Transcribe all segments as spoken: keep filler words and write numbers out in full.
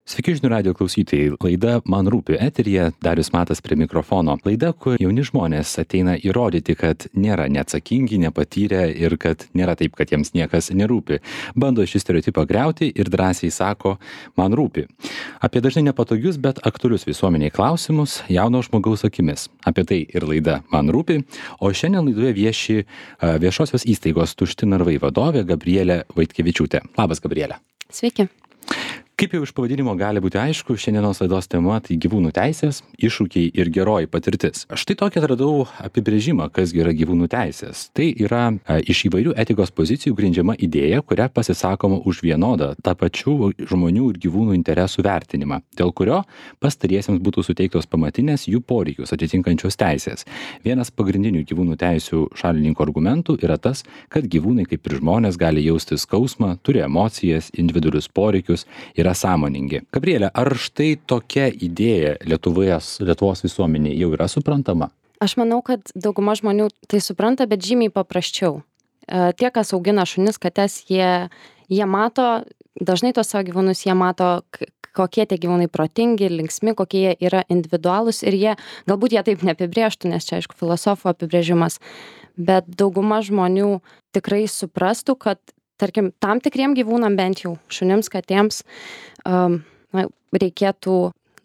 Sveiki žinių radijo klausytojai. Laida Man rūpi eteryje, Darius Matas prie mikrofono. Laida, kur jauni žmonės ateina įrodyti, kad nėra neatsakingi, nepatyrę ir kad nėra taip, kad jiems niekas nerūpi. Bando šį stereotipą griauti ir drąsiai sako, man rūpi. Apie dažnai nepatogius, bet aktualius visuomeniai klausimus jauno žmogaus akimis. Apie tai ir laida Man rūpi. O šiandien laidoje vieši viešosios įstaigos Tušti narvai vadovė Gabrielė Vaitkevičiūtė. Labas, Gabrielė. Sveiki. Kaip jau iš pavadinimo gali būti aišku, šiandienos laidos tema tai gyvūnų teisės, iššūkiai ir geroji patirtis. Štai tokį atradau apibrėžimą, kas yra gyvūnų teisės. Tai yra a, iš įvairių etikos pozicijų grindžiama idėja, kuria pasisakoma už vienodą tą pačių žmonių ir gyvūnų interesų vertinimą, dėl kurio pastariesiems būtų suteiktos pamatinės jų poreikius atitinkančios teisės. Vienas pagrindinių gyvūnų teisių šalininkų argumentų yra tas, kad gyvūnai kaip ir žmonės gali jausti skausmą, turi emocijas, individualius poreikius ir sąmoningi. Gabrielė, ar štai tokia idėja Lietuvoje, Lietuvos visuomenėje jau yra suprantama? Aš manau, kad dauguma žmonių tai supranta, bet žymiai paprasčiau. E, tie, kas augina šunis, kates, jie, jie mato, dažnai tos savo gyvūnus, jie mato, kokie tie gyvūnai protingi, linksmi, kokie jie yra individualūs ir jie, galbūt jie taip neapibrėžtų, nes čia aišku filosofų apibrėžimas, bet dauguma žmonių tikrai suprastų, kad tarkim, tam tikriem gyvūnam bent jau, šunims, katėms, um, na, reikėtų,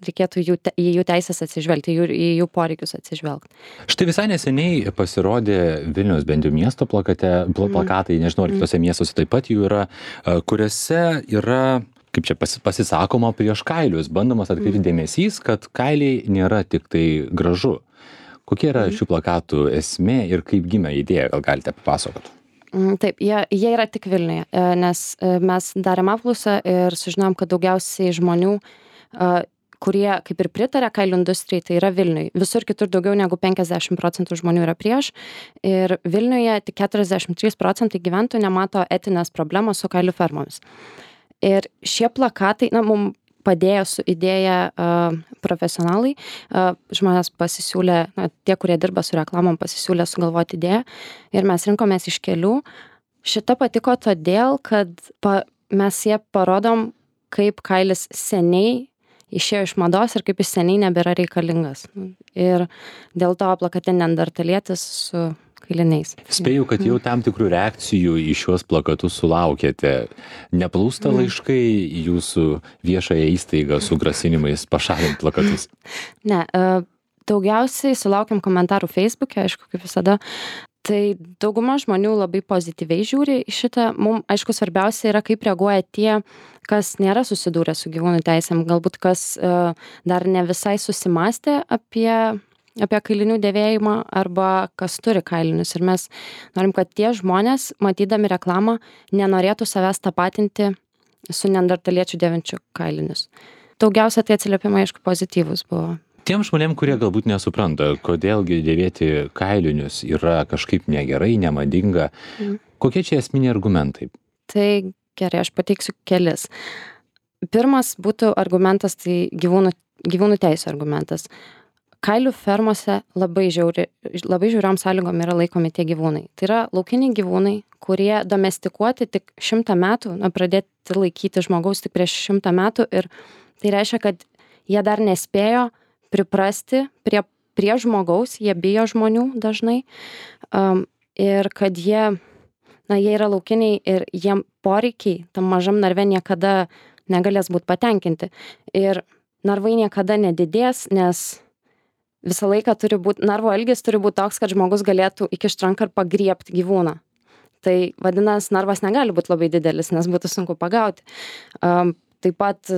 reikėtų jų, te, į jų teisės atsižvelgti, jų, į jų poreikius atsižvelgti. Štai visai neseniai pasirodė Vilniaus bent jau miesto plakate, pl- plakatai, nežinau, ar kitose miestuose taip pat jų yra, kuriuose yra, kaip čia pasi- pasisakoma prieš kailius, bandomas atkreipti dėmesys, kad kailiai nėra tik tai gražu. Kokia yra šių plakatų esmė ir kaip gimė idėja, gal galite papasakoti? Taip, jie, jie yra tik Vilniuje, nes mes darėm apklausą ir sužinom, kad daugiausiai žmonių, kurie kaip ir pritarė kailių industrijai, tai yra Vilniuje. Visur kitur daugiau negu penkiasdešimt procentų žmonių yra prieš ir Vilniuje tik keturiasdešimt trys procentai gyventojų nemato etinės problemos su kailių fermomis. Ir šie plakatai, na, mums padėjo su idėja uh, profesionalai, uh, žmonės pasisiūlė, na, tie, kurie dirba su reklamom, pasisiūlė sugalvoti idėją ir mes rinkomės iš kelių. Šita patiko todėl, kad pa, mes jie parodom, kaip kailis seniai išėjo iš mados ir kaip jis seniai nebėra reikalingas. Ir dėl to plakate neandertalietis su kailiniais. Spėju, kad jau tam tikrų reakcijų į šiuos plakatus sulaukėte. Neplūsta laiškai į jūsų viešąją įstaigą su grasinimais pašalinti plakatus? Ne, daugiausiai sulaukiam komentarų Facebook'e, aišku, kaip visada. Tai dauguma žmonių labai pozityviai žiūri į šitą. Mums, aišku, svarbiausia yra, kaip reaguoja tie, kas nėra susidūrę su gyvūnų teisėm, galbūt kas uh, dar ne visai susimastė apie apie kailinių dėvėjimą arba kas turi kailinius. Ir mes norim, kad tie žmonės, matydami reklamą, nenorėtų savęs tapatinti su neandertaliečių dėvinčių kailinius. Daugiausia tai atsiliepimai, aišku, pozityvus buvo. Tiem žmonėm, kurie galbūt nesupranta, kodėlgi dėvėti kailinius yra kažkaip negerai, nemadinga, mm. kokie čia esminiai argumentai? Tai gerai, aš pateiksiu kelis. Pirmas būtų argumentas, tai gyvūnų, gyvūnų teisų argumentas. Kailių fermose labai, žiauri, labai žiauriom sąlygom yra laikomi tie gyvūnai. Tai yra laukiniai gyvūnai, kurie domestikuoti tik šimtą metų, na, pradėti laikyti žmogaus tik prieš šimtą metų ir tai reiškia, kad jie dar nespėjo priprasti prie, prie žmogaus, jie bijo žmonių dažnai um, ir kad jie, na, jie yra laukiniai ir jiem poreikiai tam mažam narve niekada negalės būti patenkinti. Ir narvai niekada nedidės, nes visą laiką turi būti, narvo ilgis turi būti toks, kad žmogus galėtų įkišti ranką ir pagriebti gyvūną. Tai vadinasi, narvas negali būti labai didelis, nes būtų sunku pagauti. Um, taip pat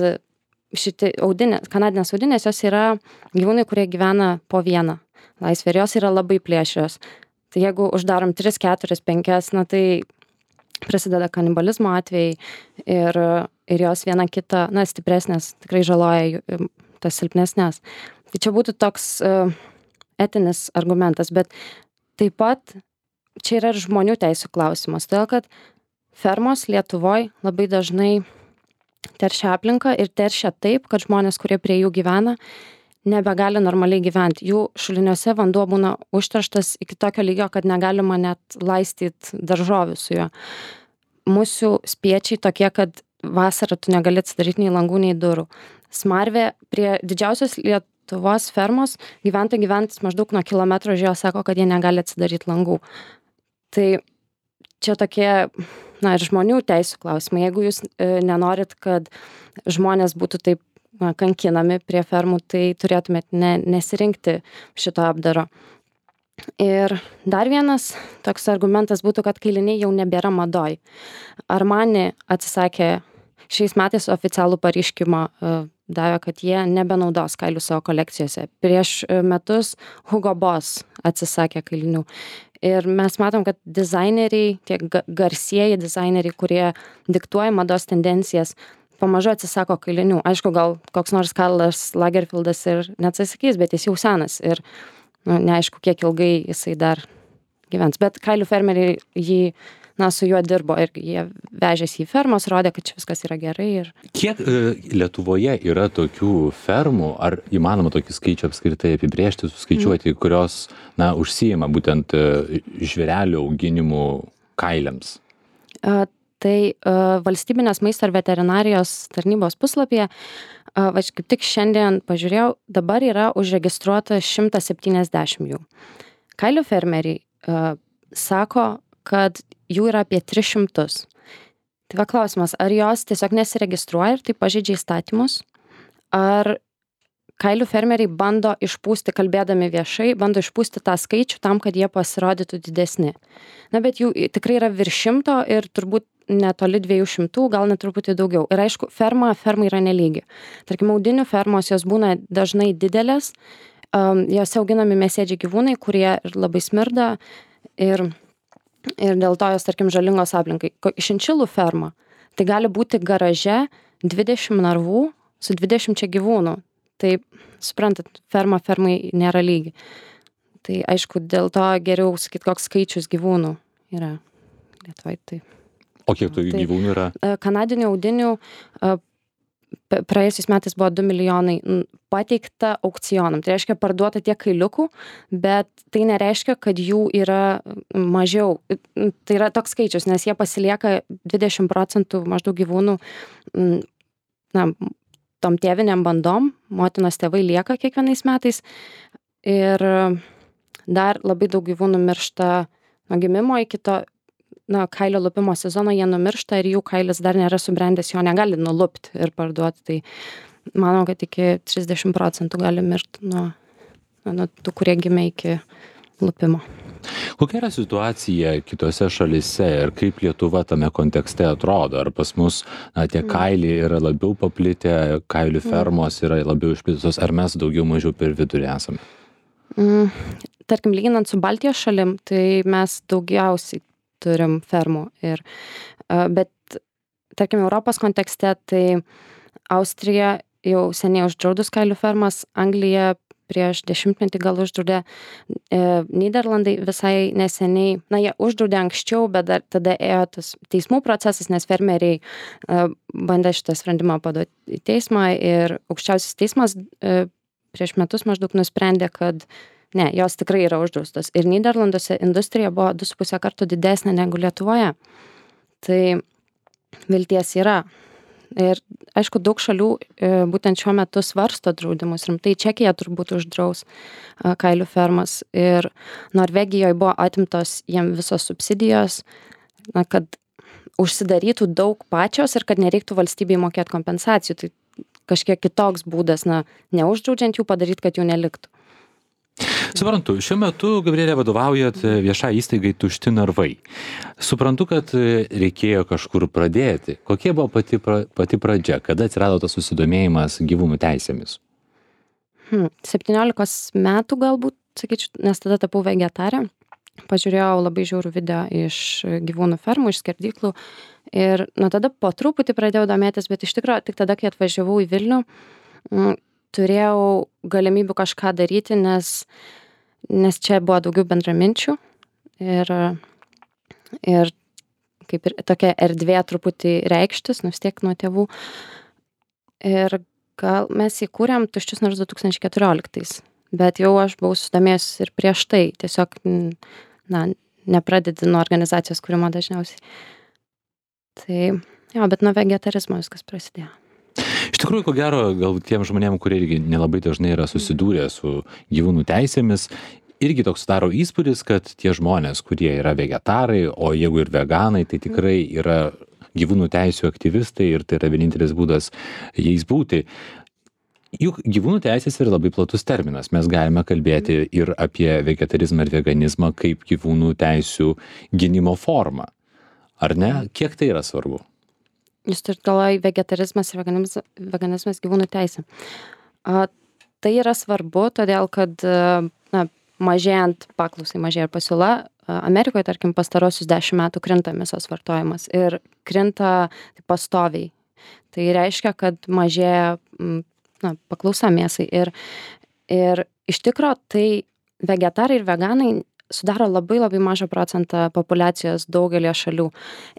šitie audinės, kanadinės audinės, jos yra gyvūnai, kurie gyvena po vieną laisvę ir jos yra labai plėšrios. Tai jeigu uždarom tris, keturis, penkias, na tai prasideda kanibalizmo atvejai ir, ir jos viena kitą, na, stipresnės, tikrai žaloja tas silpnesnės. Tai čia būtų toks uh, etinis argumentas, bet taip pat čia yra ir žmonių teisų klausimas, todėl kad fermos Lietuvoj labai dažnai teršia aplinką ir teršia taip, kad žmonės, kurie prie jų gyvena, nebegali normaliai gyventi. Jų šuliniuose vanduo būna užterštas iki tokio lygio, kad negalima net laistyti daržovių su juo. Mūsų spiečiai tokie, kad vasarą tu negali atsidaryti nei langų, nei durų. smarvė prie didžiausios Lietuvos fermos gyventojai gyvenantys maždaug nuo kilometro už jos sako, kad jie negali atsidaryti langų. Tai čia tokie, na, ir žmonių teisų klausimai. Jeigu jūs e, nenorit, kad žmonės būtų taip na, kankinami prie fermų, tai turėtumėt ne, nesirinkti šito apdaro. Ir dar vienas toks argumentas būtų, kad kailiniai jau nebėra madoj. Armani atsisakė šiais metais oficialų pareiškimą, e, davė, kad jie nebenaudos kailių savo kolekcijose. Prieš metus Hugo Boss atsisakė kailinių. Ir mes matom, kad dizaineriai, tie garsieji dizaineriai, kurie diktuoja mados tendencijas, pamažu atsisako kailinių. Aišku, gal koks nors Karlas Lagerfeldas ir neatsisakys, bet jis jau senas ir nu, neaišku, kiek ilgai jisai dar gyvens. Bet kailių fermeriai jį, na, su juo dirbo ir jie vežėsi į fermas, rodė, kad čia viskas yra gerai. Ir... Kiek e, Lietuvoje yra tokių fermų, ar įmanoma tokį skaičių apskritai apibrėžti, suskaičiuoti, mm. kurios, na, užsijima būtent e, žvėrelių auginimu kailiams? A, tai a, valstybinės maisto ir veterinarijos tarnybos puslapyje, a, va, kaip tik šiandien pažiūrėjau, dabar yra užregistruota šimtas septyniasdešimt jų. Kailių fermeriai a, sako, kad jų yra apie tris šimtus. Tai va klausimas, ar jos tiesiog nesiregistruoja ir tai pažeidžia įstatymus, ar kailių fermeriai bando išpūsti, kalbėdami viešai, bando išpūsti tą skaičių tam, kad jie pasirodytų didesni. Na, bet jų tikrai yra virš šimto ir turbūt netoli dviejų šimtų, gal net truputį daugiau. Ir aišku, ferma, ferma yra nelygi. Tarkim, audinių fermos, jos būna dažnai didelės, um, jose auginami mėsėdžiai gyvūnai, kurie ir labai smirda ir ir dėl to jos, tarkim, žalingos aplinkai. Šinšilų ferma, tai gali būti garaže dvidešimt narvų su dvidešimčia gyvūnų. Tai, suprantat, ferma fermai nėra lygi. Tai, aišku, dėl to geriau sakyt, koks skaičius gyvūnų yra Lietuvai. Tai, o kiek tų tai, gyvūnų yra? Kanadinių audinių praėjusiais metais buvo du milijonai pateikta aukcionam. Tai reiškia parduota tiek kailiukų, bet tai nereiškia, kad jų yra mažiau. Tai yra toks skaičius, nes jie pasilieka dvidešimt procentų maždaug gyvūnų, na, tom tėviniam bandom, motinos tėvai lieka kiekvienais metais. Ir dar labai daug gyvūnų miršta nuo gimimo iki to, na, kailio lupimo sezono, jie numiršta ir jų kailis dar nėra subrendęs, jo negali nulupti ir parduoti. Tai manau, kad iki trisdešimt procentų gali mirti nuo, nuo tų, kurie gimė iki lupimo. Kokia yra situacija kitose šalyse ir kaip Lietuva tame kontekste atrodo? Ar pas mus na, tie kailiai yra labiau paplitę, kailių fermos yra labiau išplitusios, ar mes daugiau mažiau per vidurį esame? Mm, tarkim, lyginant su Baltijos šalim, tai mes daugiausiai turim fermų. Ir, bet, tarkim, Europos kontekste, tai Austrija jau seniai uždraudus kailių fermas, Anglija prieš dešimtmetį gal uždraudė, e, Nyderlandai visai neseniai, na, jie uždraudė anksčiau, bet dar tada ėjo tas teismų procesas, nes fermeriai e, bandė šitą sprendimą paduoti į teismą ir aukščiausias teismas e, prieš metus maždaug nusprendė, kad ne, jos tikrai yra uždraustos. Ir Nyderlanduose industrija buvo du su puse kartų didesnė negu Lietuvoje. Tai vilties yra. Ir aišku, daug šalių e, būtent šiuo metu svarsto draudimus. Rimtai Čekija turbūt uždraus e, kailių fermas. Ir Norvegijoje buvo atimtos jiem visos subsidijos, na, kad užsidarytų daug pačios ir kad nereiktų valstybei mokėti kompensacijų. Tai kažkiek kitoks būdas, na, neuždraudžiant jų padaryti, kad jų neliktų. Suprantu, šiuo metu, Gabrielė, vadovaujat viešai įstaigai Tušti narvai. Suprantu, kad reikėjo kažkur pradėti. Kokia buvo pati, pra, pati pradžia? Kada atsirado tas susidomėjimas gyvūnų teisėmis? Hmm, septyniolikos metų galbūt, sakyčiau, nes tada tapau vegetarė. Pažiūrėjau labai žiaurų video iš gyvūnų fermų, iš skerdyklų. Ir nuo tada po truputį pradėjau domėtis, bet iš tikrųjų tik tada, kai atvažiavau į Vilnių, turėjau galimybių kažką daryti, nes, nes čia buvo daugiau bendraminčių ir, ir kaip ir tokia erdvė truputį reikštis, nu vis tiek nuo tėvų. Ir gal mes įkūrėm Tuščius narvus du tūkstančiai keturioliktais, bet jau aš buvau susidomėjus ir prieš tai, tiesiog, na, nepradedi nuo organizacijos kūrimo dažniausiai. Tai, jo, bet nuo vegetarizmo viskas prasidėjo. Iš tikrųjų, ko gero, gal tiem žmonėm, kurie irgi nelabai dažnai yra susidūrę su gyvūnų teisėmis, irgi toks daro įspūdis, kad tie žmonės, kurie yra vegetarai, o jeigu ir veganai, tai tikrai yra gyvūnų teisų aktyvistai ir tai yra vienintelis būdas jais būti. Juk gyvūnų teisės yra labai platus terminas. Mes galime kalbėti ir apie vegetarizmą ir veganizmą kaip gyvūnų teisų gynimo formą. Ar ne? Kiek tai yra svarbu? Jūs turit galvoje vegetarizmas ir veganizmas, veganizmas gyvūnų teisė. A, tai yra svarbu, todėl kad na, mažėjant paklausai, mažėja pasiūla. Amerikoje, tarkim, pastarosius dešimt metų krinta mėsos vartojimas ir krinta pastoviai. Tai reiškia, kad mažėja na, paklausa mėsai. Ir, ir iš tikro tai vegetarai ir veganai sudaro labai labai mažą procentą populiacijos daugelio šalių.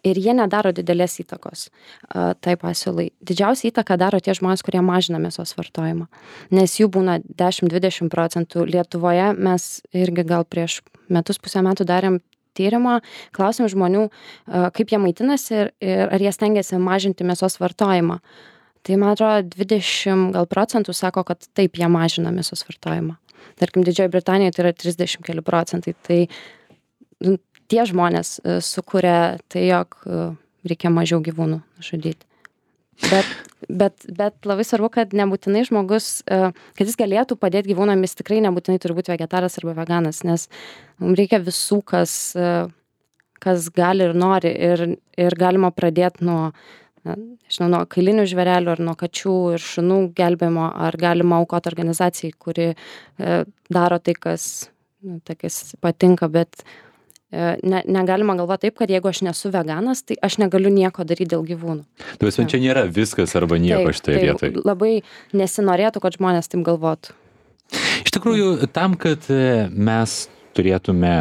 Ir jie nedaro didelės įtakos a, tai pasiūlai. Didžiausia įtaka daro tie žmonės, kurie mažina mėsos vartojimą. Nes jų būna dešimt dvidešimt procentų. Lietuvoje mes irgi gal prieš metus, pusę metų darėm tyrimą, klausėm žmonių, a, kaip jie maitinasi ir, ir ar jie stengiasi mažinti mėsos vartojimą. Tai man atrodo dvidešimt gal procentų sako, kad taip jie mažina mėsos vartojimą. Tarkim, Didžioji Britanijoje tai yra trisdešimt keli procentai. Tai nu, tie žmonės uh, sukuria tai, jog uh, reikia mažiau gyvūnų žudyti. Bet, bet, bet labai svarbu, kad nebūtinai žmogus, uh, kad jis galėtų padėti gyvūnam, jis tikrai nebūtinai turi būti vegetaras arba veganas, nes mums reikia visų, kas, uh, kas gali ir nori. Ir, ir galima pradėti nuo nežinau, nuo kailinių žvėrelių ar nuo kačių ir šunų gelbėjimo, ar galima aukoti organizacijai, kuri e, daro tai, kas, nu, tai, kas patinka, bet e, ne, negalima galvoti taip, kad jeigu aš nesu veganas, tai aš negaliu nieko daryti dėl gyvūnų. Tai visą čia nėra viskas arba nieko šitoje vietoje. Labai nesinorėtų, kad žmonės taip galvotų. Iš tikrųjų, tam, kad mes turėtume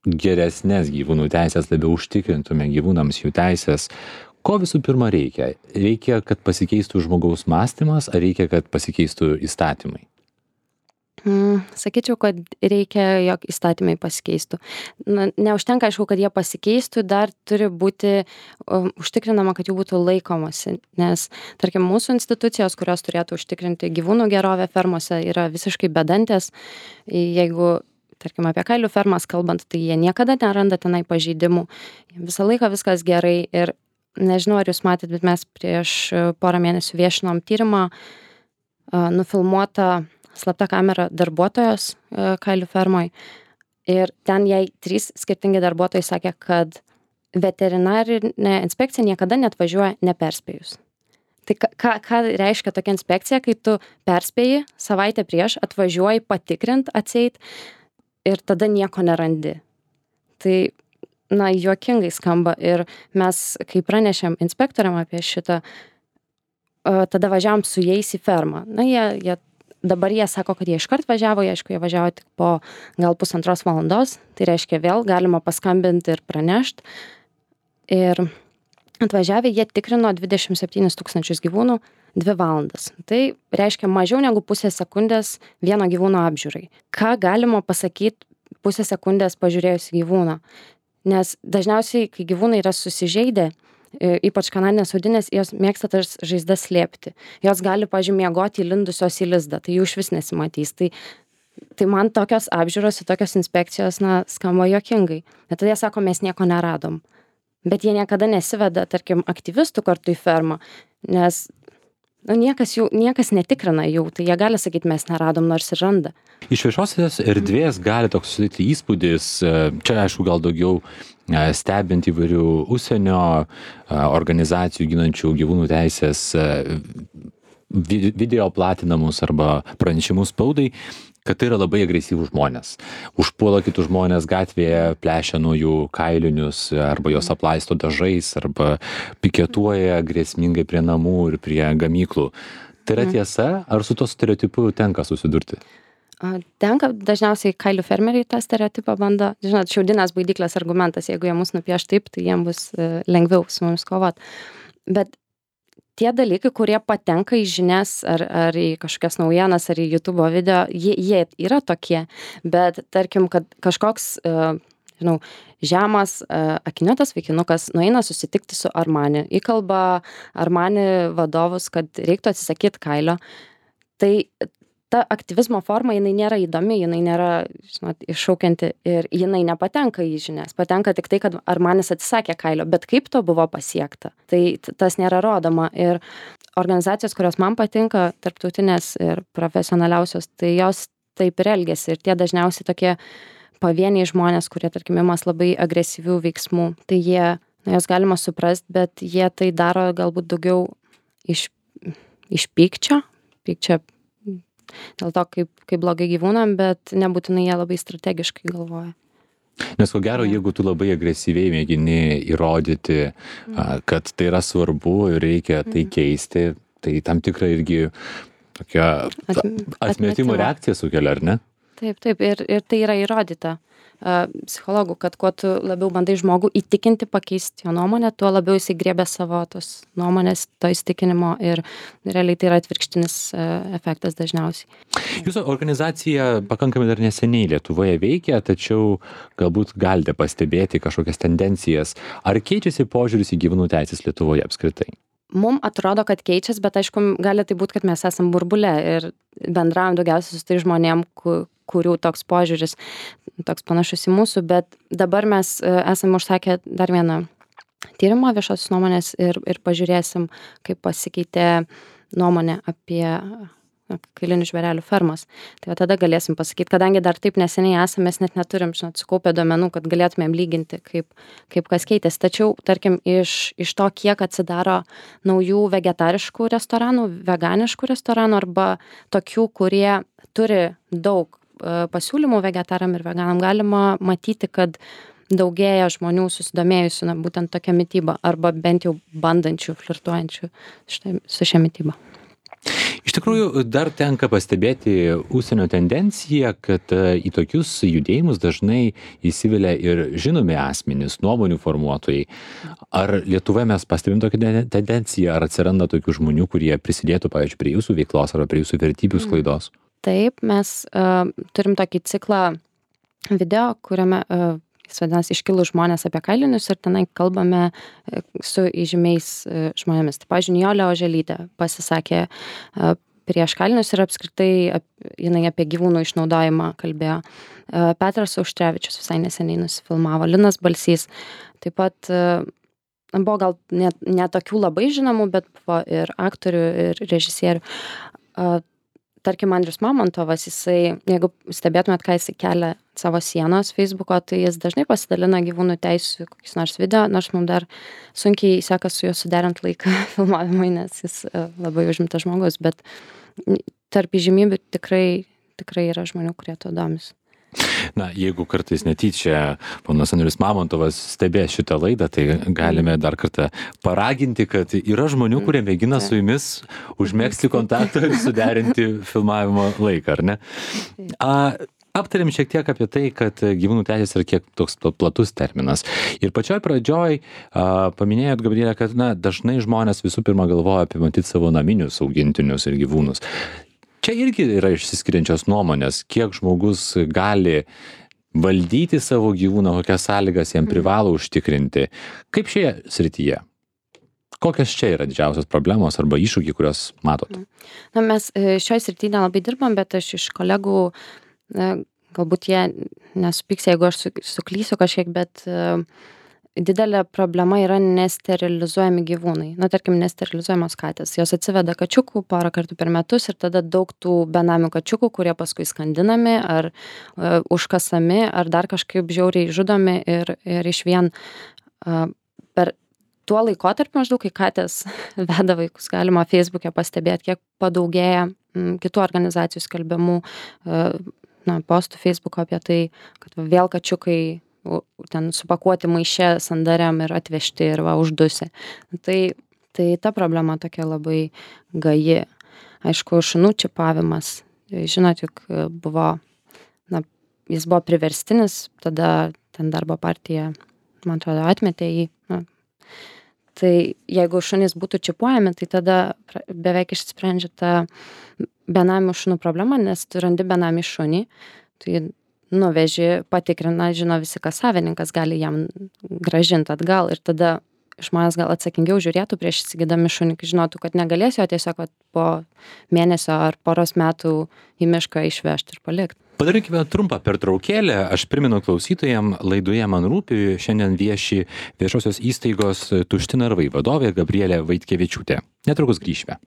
geresnės gyvūnų teisės, labiau užtikrintume gyvūnams jų teisės, ko visų pirma reikia? Reikia, kad pasikeistų žmogaus mąstymas, ar reikia, kad pasikeistų įstatymai? Mm, sakyčiau, kad reikia, jog įstatymai pasikeistų. Na, neužtenka, aišku, kad jie pasikeistų, dar turi būti um, užtikrinama, kad jų būtų laikomasi. Nes, tarkim, mūsų institucijos, kurios turėtų užtikrinti gyvūnų gerovę fermose, yra visiškai bedantės. Jeigu tarkim, apie kailių fermas kalbant, tai jie niekada neranda tenai pažeidimų. Visą laiką viskas gerai ir nežinau, ar jūs matėt, bet mes prieš porą mėnesių viešinom tyrimą, nufilmuotą slapta kamera darbuotojos kailių fermoj. Ir ten jai trys skirtingi darbuotojai sakė, kad veterinarinė inspekcija niekada neatvažiuoja neperspėjus. Tai ką, ką reiškia tokia inspekcija, kai tu perspėji savaitę prieš, atvažiuoji patikrint, atseit ir tada nieko nerandi. Tai na, juokingai skamba ir mes, kai pranešėm inspektoriam apie šitą, tada važiavom su jais į fermą. Na, jie, jie, dabar jie sako, kad jie iškart važiavo, jie, aišku, jie važiavo tik po gal pusantros valandos, tai reiškia vėl galima paskambinti ir pranešti. Ir atvažiavę jie tikrino dvidešimt septynis tūkstančius gyvūnų dvi valandas. Tai reiškia mažiau negu pusę sekundės vieno gyvūno apžiūrai. Ką galima pasakyti pusę sekundės pažiūrėjus į gyvūną? Nes dažniausiai, kai gyvūnai yra susižeidę, ypač kanadinės audinės, jos mėgsta tas žaizdas slėpti. Jos gali, pavyzdžiui, miegoti įlindusios į lizdą, tai jų išvis nesimatys. Tai, tai man tokios apžiūros ir tokios inspekcijos, na, skamba juokingai. Bet tada jie sako, mes nieko neradom. Bet jie niekada nesiveda, tarkim, aktyvistų kartu į fermą, nes nu, niekas, jų, niekas netikrina jų, tai jie gali sakyti, mes neradom, nors ir randa. Iš viešosios erdvės gali toks susidaryti įspūdis, čia aišku gal daugiau stebint įvairių užsienio organizacijų ginančių gyvūnų teisės video platinamus arba pranešimus spaudai, kad tai yra labai agresyvūs žmonės. Užpuola kitus žmonės gatvėje, plešia nuo jų kailinius, arba jos aplaisto dažais, arba piketuoja grėsmingai prie namų ir prie gamyklų. Tai yra tiesa, ar su to stereotipu tenka susidurti? Tenka, dažniausiai kailių fermeriai tą stereotipą bando. Žinot, šiaudinės baidyklės argumentas, jeigu jie mus nupieš taip, tai jiems bus lengviau su mumis kovot. Bet tie dalykai, kurie patenka į žinias ar, ar į kažkokias naujienas, ar į YouTube video, jie, jie yra tokie. Bet tarkim, kad kažkoks, žinau, žemas, akiniuotas vaikinukas nueina susitikti su Armani, įkalba Armani vadovus, kad reiktų atsisakyti kailio. Tai ta aktyvizmo forma, jinai nėra įdomi, jinai nėra, žinot, iššaukianti ir jinai nepatenka į žinias. Patenka tik tai, kad Armanis atsisakė kailio, bet kaip to buvo pasiekta, tai tas nėra rodoma. Ir organizacijos, kurios man patinka, tarptautinės ir profesionaliausios, tai jos taip ir elgiasi. Ir tie dažniausiai tokie pavieniai žmonės, kurie, tarkim, imas labai agresyvių veiksmų, tai jie, na, jos galima suprasti, bet jie tai daro galbūt daugiau iš, iš pykčio, pykčio dėl to, kaip, kaip blogai gyvūnam, bet nebūtinai jie labai strategiškai galvoja. Nes ko gero, jeigu tu labai agresyviai mėgini įrodyti, mm. kad tai yra svarbu ir reikia tai keisti, tai tam tikra irgi tokia atmetimo reakcija sukelia, ar ne? Taip, taip, ir, ir tai yra įrodyta uh, psichologų, kad kuo tu labiau bandai žmogų įtikinti, pakeisti jo nuomonę, tuo labiau jisai griebia savo tos nuomonės, to įstikinimo ir realiai tai yra atvirkštinis uh, efektas dažniausiai. Jūsų organizacija pakankamai dar neseniai Lietuvoje veikia, tačiau galbūt galite pastebėti kažkokias tendencijas. Ar keičiasi požiūris į gyvūnų teisės Lietuvoje apskritai? Mum atrodo, kad keičias, bet aišku, gali tai būti, kad mes esam burbule ir bendraujam daugiausiai su tai žmonėm, kurių toks požiūris, toks panašus į mūsų, bet dabar mes esame užsakę dar vieną tyrimą viešosios nuomonės ir, ir pažiūrėsim, kaip pasikeitė nuomonė apie kailinių žvėrelių fermas. Tai tada galėsim pasakyti, kadangi dar taip neseniai esame, mes net neturim, žinot, sukaupę duomenų, kad galėtumėm lyginti, kaip, kaip kas keitėsi. Tačiau, tarkim, iš, iš to, kiek atsidaro naujų vegetariškų restoranų, veganiškų restoranų arba tokių, kurie turi daug e, pasiūlymų vegetaram ir veganam, galima matyti, kad daugėja žmonių susidomėjusių na, būtent tokia mityba arba bent jau bandančių, flirtuojančių štai, su šia mityba. Iš tikrųjų, dar tenka pastebėti užsienio tendenciją, kad į tokius judėjimus dažnai įsivelia ir žinomi asmenys, nuomonių formuotojai. Ar Lietuvoje mes pastebim tokią tendenciją, ar atsiranda tokių žmonių, kurie prisidėtų, pavyzdžiui, prie jūsų veiklos arba prie jūsų vertybių sklaidos? Taip, mes uh, turim tokį ciklą video, kuriame uh, jis vadinasi iškilūs žmonės apie kailinius ir tenai kalbame su įžymiais žmonėmis. Tai, pavyzdžiui, Nijolė Oželytė pasisakė prieš kailinius ir apskritai jinai apie gyvūnų išnaudojimą kalbėjo. Petras Auštrevičius visai neseniai nusifilmavo, Linas Balsys. Taip pat buvo gal ne, ne tokių labai žinomų, bet buvo ir aktorių, ir režisierių. Tarkim, Andrius Mamontovas, jisai, jeigu stebėtumėt, ką jisai kelia savo sienos Facebooko, tai jis dažnai pasidalina gyvūnų teisių kokius nors video, nors mums dar sunkiai sekas su juo suderint laiką filmavimui, nes jis labai užimtas žmogus, bet tarp įžymybių tikrai, tikrai yra žmonių, kurie to domis. Na, jeigu kartais netyčia ponas Andrius Mamontovas stebės šitą laidą, tai galime dar kartą paraginti, kad yra žmonių, kurie mėgina su jumis užmegzti kontaktą ir suderinti filmavimo laiką, ar ne? A, aptarėm šiek tiek apie tai, kad gyvūnų teisės yra kiek toks platus terminas. Ir pačioj pradžioj a, paminėjot, Gabrielė, kad na, dažnai žmonės visų pirma galvoja apie matyti savo naminius augintinius ir gyvūnus. Čia irgi yra išsiskiriančios nuomonės, kiek žmogus gali valdyti savo gyvūną, kokias sąlygas jam privalo užtikrinti. Kaip šioje srityje? Kokios čia yra didžiausios problemos arba iššūkiai, kuriuos matot? Na, mes šioje srityje nelabai dirbam, bet aš iš kolegų, galbūt jie nesupyks, jeigu aš suklysiu kažkiek, bet didelė problema yra nesterilizuojami gyvūnai. Na, tarkim, nesterilizuojamos katės. Jos atsiveda kačiukų porą kartų per metus ir tada daug tų benamių kačiukų, kurie paskui skandinami ar uh, užkasami, ar dar kažkaip žiauriai žudomi ir, ir iš vien uh, per tuo laikotarpiu maždaug, kai katės veda vaikus, galima Facebook'e pastebėti, kiek padaugėja m, kitų organizacijų skelbimų uh, na, postų Facebook'o apie tai, kad vėl kačiukai ten supakuoti maiše sandariam ir atvežti ir va uždusi. Tai, tai ta problema tokia labai gaji. Aišku, šunų čipavimas. Žinot, juk buvo, na, jis buvo priverstinis, tada ten darbo partija, man atrodo, atmetė jį. Na, tai jeigu šunys būtų čipuojami, tai tada beveik išsprendžia ta benamių šunų problema, nes tu randi benamį šunį, tai nuveži, patikrina, žino visi, kas savininkas, gali jam grąžinti atgal ir tada žmonės gal atsakingiau žiūrėtų prieš įsigydami šunį, žinotų, kad negalės jo tiesiog po mėnesio ar poros metų į mišką išvežti ir palikti. Padarykime trumpą pertraukėlę. Aš primenu klausytojam, laidoje Man rūpi šiandien vieši viešosios įstaigos Tušti narvai vadovė Gabrielė Vaitkevičiūtė. Netrukus grįšime.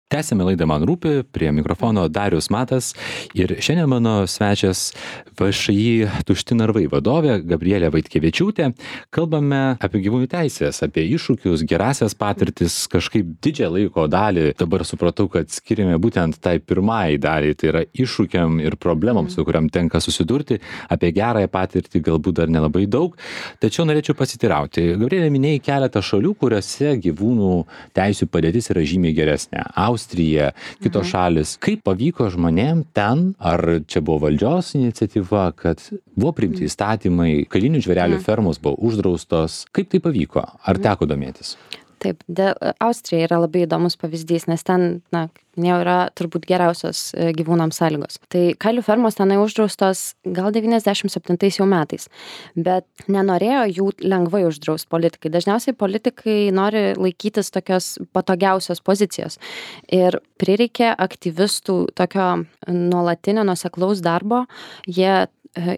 Tęsime laidą Man rūpi, prie mikrofono Darius Matas ir šiandien mano svečias V Š I Tušti narvai vadovė Gabrielė Vaitkevičiūtė. Kalbame apie gyvūnų teisės, apie iššūkius, gerasias patirtis, kažkaip didžią laiko dalį. Dabar supratau, kad skiriame būtent tai pirmai daliai, tai yra iššūkiam ir problemams, su kuriam tenka susidurti. Apie gerąją patirtį galbūt dar nelabai daug. Tačiau norėčiau pasitirauti. Gabrielė, minėjai keletą šalių, kuriuose gyvūnų teisių padėtis yra žymiai geresnė. Austrija, kitos šalis. Kaip pavyko žmonėm ten, ar čia buvo valdžios iniciatyva, kad buvo priimti įstatymai, kailinių žvėrelių fermos buvo uždraustos. Kaip tai pavyko? Ar teko domėtis? Taip, de, Austrija yra labai įdomus pavyzdys, nes ten, na, minėjau, yra turbūt geriausios gyvūnams sąlygos. Tai kailių fermos tenai uždraustos gal devyniasdešimt septintais jau metais, bet nenorėjo jų lengvai uždraust politikai. Dažniausiai politikai nori laikytis tokios patogiausios pozicijos. Ir prireikė aktyvistų tokio nuolatinio nuoseklaus darbo. Jie,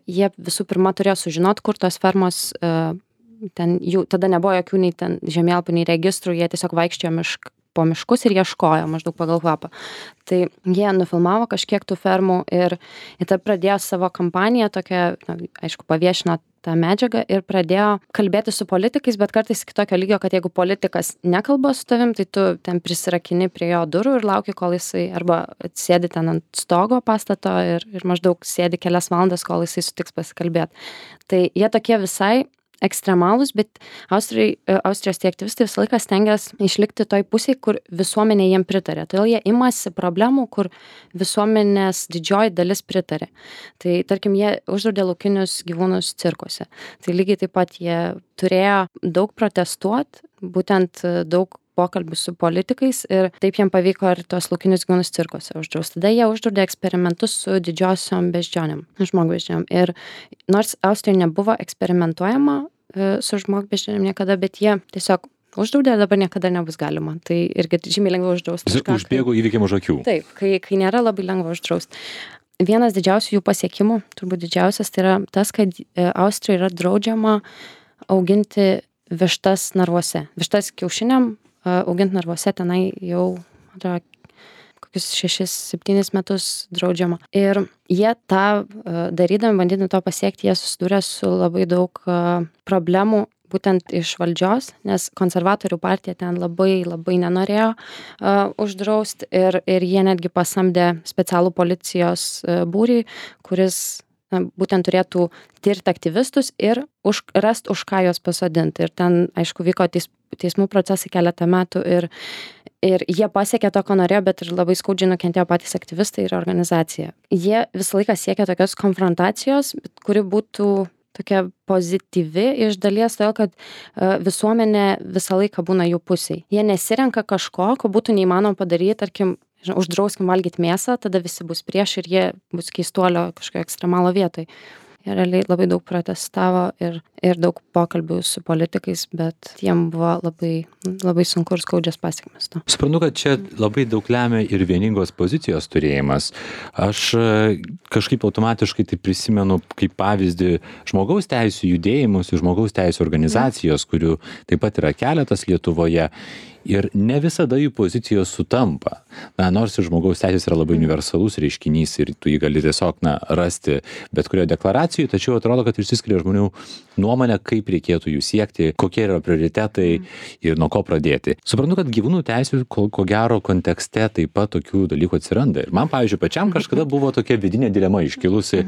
jie visų pirma turėjo sužinot, kur tos fermos ten jų, tada nebuvo jokių nei ten žemėlapių, nei registrų, jie tiesiog vaikščiojo mišk, po miškus ir ieškojo maždaug pagal kvapą. Tai jie nufilmavo kažkiek tų fermų ir, ir tada pradėjo savo kampaniją tokią, na, aišku, paviešino tą medžiagą ir pradėjo kalbėti su politikais, bet kartais kitokio lygio, kad jeigu politikas nekalba su tavim, tai tu ten prisirakini prie jo durų ir lauki, kol jisai arba sėdi ten ant stogo pastato ir, ir maždaug sėdi kelias valandas, kol jisai sutiks pasikalbėti. Tai jie tokie visai ekstremalūs, bet Austrijai, Austrijos tie aktyvistai visą laiką stengiasi išlikti toj pusėj, kur visuomenė jiem pritarė. Todėl jie imasi problemų, kur visuomenės didžioji dalis pritarė. Tai tarkim, jie uždraudė laukinius gyvūnus cirkuose. Tai lygiai taip pat jie turėjo daug protestuoti, būtent daug pokalbių su politikais ir taip jiem pavyko ir tuos laukinius gyvūnus cirkuose uždraust. Tada jie uždraudė eksperimentus su didžiosiom beždžionėm, žmogbeždžionėm. Ir nors Austrijoje nebuvo eksperimentuojama su žmogbeždžionėm niekada, bet jie tiesiog uždraudė, dabar niekada nebus galima. Tai irgi žymiai lengva uždraust. Užbėgo įvykiam už akių. Taip, kai, kai nėra labai lengva uždraust. Vienas didžiausių jų pasiekimų, turbūt didžiausias, tai yra tas, kad Austrijoje yra draudžiama auginti vištas narvuose. Vištas kiaušiniam auginti narvuose tenai jau atrodo, kokius šešis septynis metus draudžiama. Ir jie tą darydami, bandydami to pasiekti, jie susidūrė su labai daug problemų būtent iš valdžios, nes konservatorių partija ten labai labai nenorėjo uh, uždraust ir, ir jie netgi pasamdė specialų policijos uh, būrį, kuris na, būtent turėtų tirti aktyvistus ir už, rast, už ką juos pasodinti. Ir ten, aišku, vyko teis, teismų procesai keletą metų ir, ir jie pasiekė to, ko norėjo, bet ir labai skaudžiai nukentėjo patys aktyvistai ir organizacija. Jie visą laiką siekė tokios konfrontacijos, kuri būtų tokia pozityvi iš dalies, todėl kad uh, visuomenė visą laiką būna jų pusėj. Jie nesirenka kažko, ko būtų neįmanoma padaryti, tarkim, žinau, uždrauskim valgyti mėsą, tada visi bus prieš ir jie bus keistuolio kažkokio ekstremalo vietoj. Jie realiai labai daug protestavo ir, ir daug pokalbių su politikais, bet jiem buvo labai, labai sunku ir skaudžias pasiekmes to. Suprantu, kad čia labai daug lemia ir vieningos pozicijos turėjimas. Aš kažkaip automatiškai tai prisimenu kaip pavyzdį žmogaus teisų judėjimus, žmogaus teisų organizacijos, kurių taip pat yra keletas Lietuvoje. Ir ne visada jų pozicijos sutampa. Na, nors ir žmogaus teisės yra labai universalus reiškinys ir tu jį gali tiesiog na, rasti bet kurioje deklaracijoje, tačiau atrodo, kad išsiskiria žmonių nuomonė, kaip reikėtų jų siekti, kokie yra prioritetai ir nuo ko pradėti. Suprantu, kad gyvūnų teisų ko, ko gero kontekste taip pat tokių dalykų atsiranda. Ir man, pavyzdžiui, pačiam kažkada buvo tokia vidinė dilema iškilusi.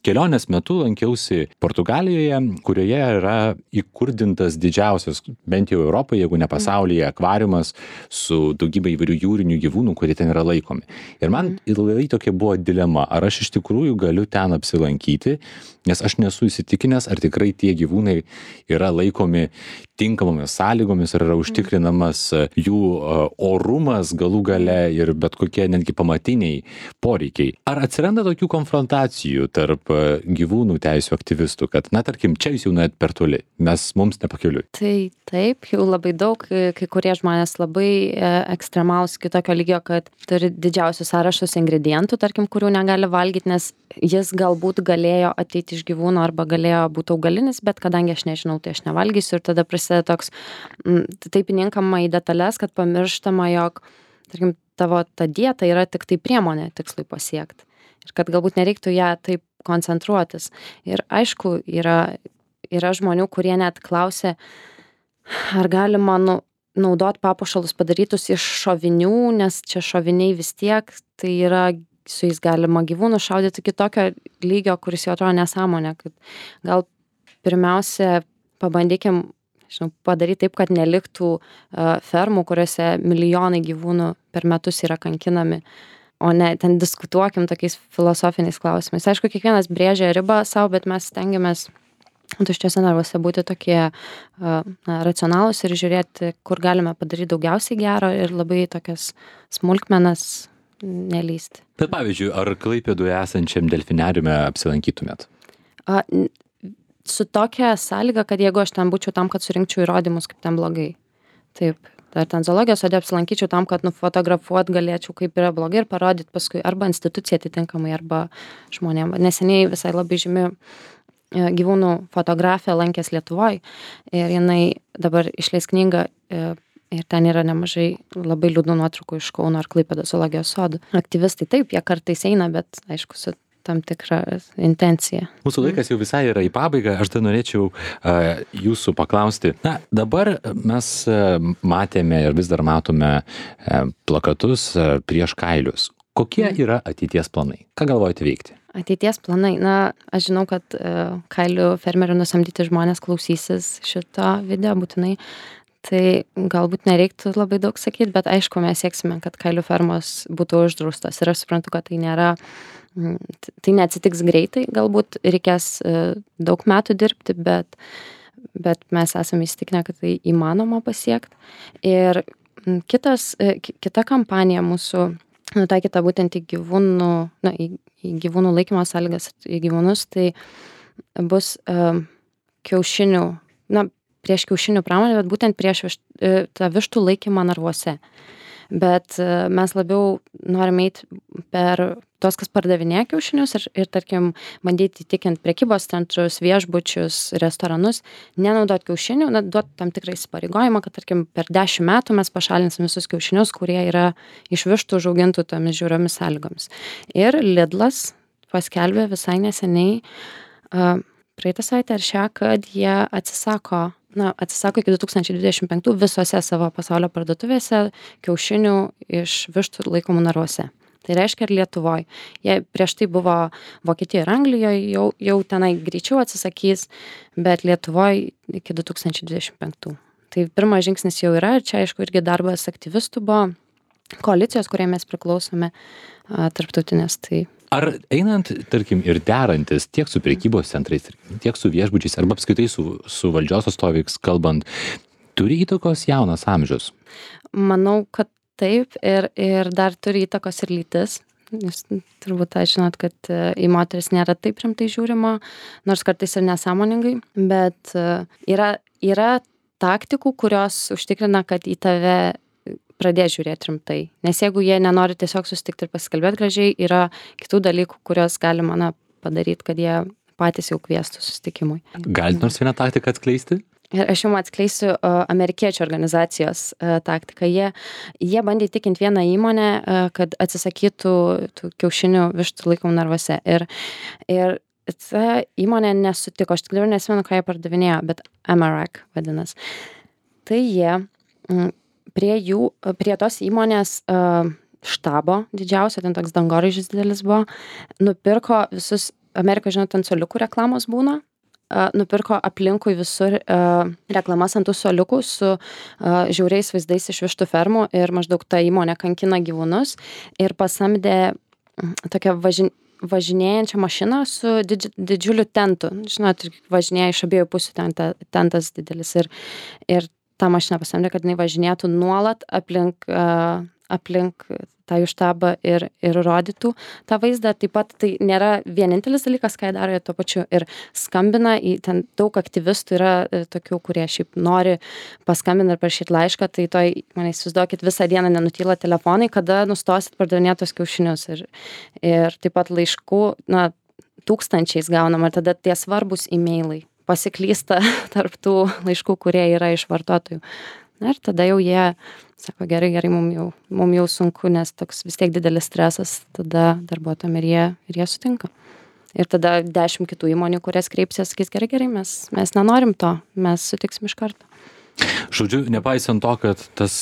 Kelionės metu lankiausi Portugalijoje, kurioje yra įkurdintas didžiausias, bent jau Europoje, jeigu ne pasaulyje, akvariumas su daugybė įvairių jūrinių gyvūnų, kurie ten yra laikomi. Ir man ilgai tokia buvo dilema, ar aš iš tikrųjų galiu ten apsilankyti, nes aš nesu įsitikinęs, ar tikrai tie gyvūnai yra laikomi tinkamomis sąlygomis ir yra užtikrinamas jų orumas galų gale ir bet kokie netgi pamatiniai poreikiai. Ar atsiranda tokių konfrontacijų tarp gyvūnų teisių aktyvistų, kad, na, tarkim, čia jūs jau nuėjot per toli, mes mums nepakeliui? Tai taip, jau labai daug, kai kurie žmonės labai ekstremalūs kitokio lygio, kad turi didžiausius sąrašus ingredientų, tarkim, kurių negali valgyti, nes jis galbūt galėjo ateiti iš gyvūno arba galėjo būti augalinis, bet kadangi aš nežinau, tai aš nevalgysiu ir tada prasideda toks taip įninkama į detalės, kad pamirštama, jog, tarkim, tavo ta dieta yra tik tai priemonė tikslui pasiekti. Ir kad galbūt nereiktų ją taip koncentruotis. Ir aišku, yra, yra žmonių, kurie net klausia, ar galima nu, naudoti papuošalus padarytus iš šovinių, nes čia šoviniai vis tiek, tai yra, su jais galima gyvūnų šaudyti kitokio lygio, kuris jau atrodo nesąmonė. Kad gal pirmiausia pabandykim, žinau, padaryti taip, kad neliktų uh, fermų, kuriuose milijonai gyvūnų per metus yra kankinami, o ne ten diskutuokim tokiais filosofiniais klausimais. Aišku, kiekvienas brėžia ribą savo, bet mes stengiamės tuščiuose narvuose būti tokie uh, na, racionalūs ir žiūrėti, kur galime padaryti daugiausiai gero ir labai tokias smulkmenas nelysti. Bet pavyzdžiui, ar Klaipėdoje esančiam delfinariume apsilankytumėt? Uh, su tokia sąlyga, kad jeigu aš ten būčiau tam, kad surinkčiau įrodymus, kaip ten blogai. Taip. Ar ten zoologijos sode apsilankyčiau tam, kad nufotografuot galėčiau, kaip yra blogai ir parodyti paskui arba instituciją atitinkamai, arba žmonėm. Neseniai visai labai žymi gyvūnų fotografė lankės Lietuvoj ir jinai dabar išleis knygą ir ten yra nemažai labai liūdnų nuotraukų iš Kauno ar Klaipėdos zoologijos sodų. Aktyvistai taip, jie kartais eina, bet aišku, su tam tikrą intenciją. Mūsų laikas jau visai yra į pabaigą. Aš dar norėčiau uh, jūsų paklausti. Na, dabar mes uh, matėme ir vis dar matome uh, plakatus uh, prieš kailius. Kokie yra ateities planai? Ką galvojate veikti? Ateities planai. Na, aš žinau, kad uh, kailių fermerių nusamdyti žmonės klausysis šito video būtinai. Tai galbūt nereiktų labai daug sakyti, bet aišku, mes sieksime, kad kailių fermos būtų uždraustos. Ir aš suprantu, kad tai nėra tai neatsitiks greitai, galbūt reikės daug metų dirbti, bet, bet mes esame įsitikinę, kad tai įmanoma pasiekti. Ir kitas, kita kampanija mūsų nutaikyta būtent į gyvūnų, na, į, į gyvūnų laikymo sąlygas, į gyvūnus, tai bus um, kiaušinių, na, prieš kiaušinių pramonę, bet būtent prieš višt, tą vištų laikymą narvuose. Bet mes labiau norime eiti per tos, kas pardavinėja kiaušinius ir, ir tarkim, bandyti įtikinti prekybos centrus, viešbučius, restoranus, nenaudoti kiaušinių, na, duoti tam tikrą įsipareigojimą, kad, tarkim, per dešimt metų mes pašalinsim visus kiaušinius, kurie yra iš vištų užaugintų tomis žiauriomis sąlygomis. Ir Lidlas paskelbė visai neseniai, uh, praeitą savaitę ar šią, kad jie atsisako na, atsisako iki du tūkstančiai dvidešimt penktų visose savo pasaulio parduotuvėse kiaušinių iš vištų laikomų narvuose. Tai reiškia ir Lietuvoj. Jie prieš tai buvo Vokietijoje ir Anglijoje, jau, jau tenai greičiau atsisakys, bet Lietuvoj iki du tūkstančiai dvidešimt penktų. Tai pirmas žingsnis jau yra ir čia, aišku, irgi darbas aktyvistų buvo, koalicijos, kurie mes priklausome, tarptautinės. Tai ar einant, tarkim, ir derantis tiek su prekybos centrais, tiek su viešbučiais, arba apskritai su, su valdžios atstovais kalbant, turi įtakos jaunas amžius? Manau, kad taip ir, ir dar turi įtakos ir lytis. Jūs turbūt tai žinot, kad į moteris nėra taip rimtai žiūrima, nors kartais ir nesąmoningai, bet yra, yra taktikų, kurios užtikrina, kad į tave pradės žiūrėti rimtai. Nes jeigu jie nenori tiesiog susitikti ir pasikalbėti gražiai, yra kitų dalykų, kurios galima na, padaryti, kad jie patys jau kviestų susitikimui. Galit nors vieną taktiką atskleisti? Ir aš jums atskleisiu uh, amerikiečių organizacijos uh, taktiką. Jie, jie bandė įtikinti vieną įmonę, uh, kad atsisakytų tų kiaušinių vištų laikomų narvuose. Ir, ir ta įmonė nesutiko. Aš tik dabar nesimenu, ką jie pardavinėjo, bet Amarak vadinas. Tai jie mm, prie jų, prie tos įmonės uh, štabo didžiausio, ten toks dangoraižis didelis buvo, nupirko visus, Amerikoje, žinot, ant soliukų reklamos būna, uh, nupirko aplinkui visur uh, reklamas ant tų soliukų su uh, žiauriais vaizdais iš vištų fermų ir maždaug ta įmonė kankina gyvūnus ir pasamdė tokią važin, važinėjančią mašiną su didži didžiuliu tentu. Žinot, važinėja iš abiejų pusių ten ta tentas didelis ir ir tą mašiną pasamdė, kad jinai važinėtų nuolat aplink, uh, aplink tą jų štabą ir, ir rodytų tą vaizdą. Taip pat tai nėra vienintelis dalykas, ką jie daro, jie tuo pačiu ir skambina, į ten daug aktyvistų yra e, tokių, kurie šiaip nori paskambinti ir parašyti laišką, tai toj, man įsivaizduokit, visą dieną nenutyla telefonai, kada nustosit pardavinėti tos kiaušinius. Ir, ir taip pat laiškų, na, tūkstančiais gaunama, ir tada tie svarbus e-mailai pasiklysta tarp tų laiškų, kurie yra iš vartotojų. Na ir tada jau jie sako, gerai, gerai, mum jau, mum jau sunku, nes toks vis tiek didelis stresas, tada darbuotojam ir jie, ir jie sutinka. Ir tada dešimt kitų įmonių, kurias kreipsies, sakys, gerai, gerai, mes, mes nenorim to, mes sutiksim iš karto. Žodžiu, nepaisant to, kad tas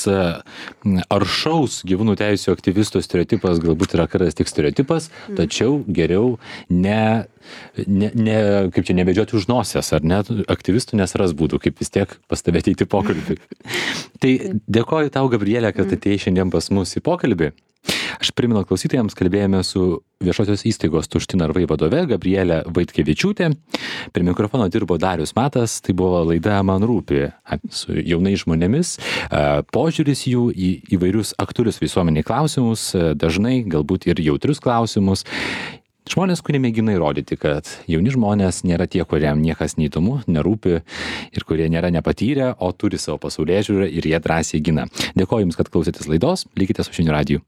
aršaus gyvūnų teisių aktyvistų stereotipas galbūt yra kartais tik stereotipas, mm. tačiau geriau ne, ne, ne, kaip čia, nebedžioti už nosies, ar ne, aktyvistų nesaras būdų, kaip vis tiek pas tave ateiti pokalbį. Tai dėkoju tau, Gabrielė, kad mm. atėjai šiandien pas mus į pokalbį. Aš primenu klausytojams, kalbėjome su viešosios įstaigos Tušti narvai vadove Gabrielė Vaitkevičiūtė. Prie mikrofono dirbo Darius Matas, tai buvo laida Man rūpi su jaunais žmonėmis, požiūris jų į įvairius aktualius visuomeniai klausimus, dažnai galbūt ir jautrius klausimus. Žmonės, kurie mėgina įrodyti, kad jauni žmonės nėra tie, kuriam niekas neįdomu, nerūpi ir kurie nėra nepatyrę, o turi savo pasaulėžiūrą ir jie drąsiai gina. Dėkoju Jums, kad klausėtės laidos, likite su Žinių radiju.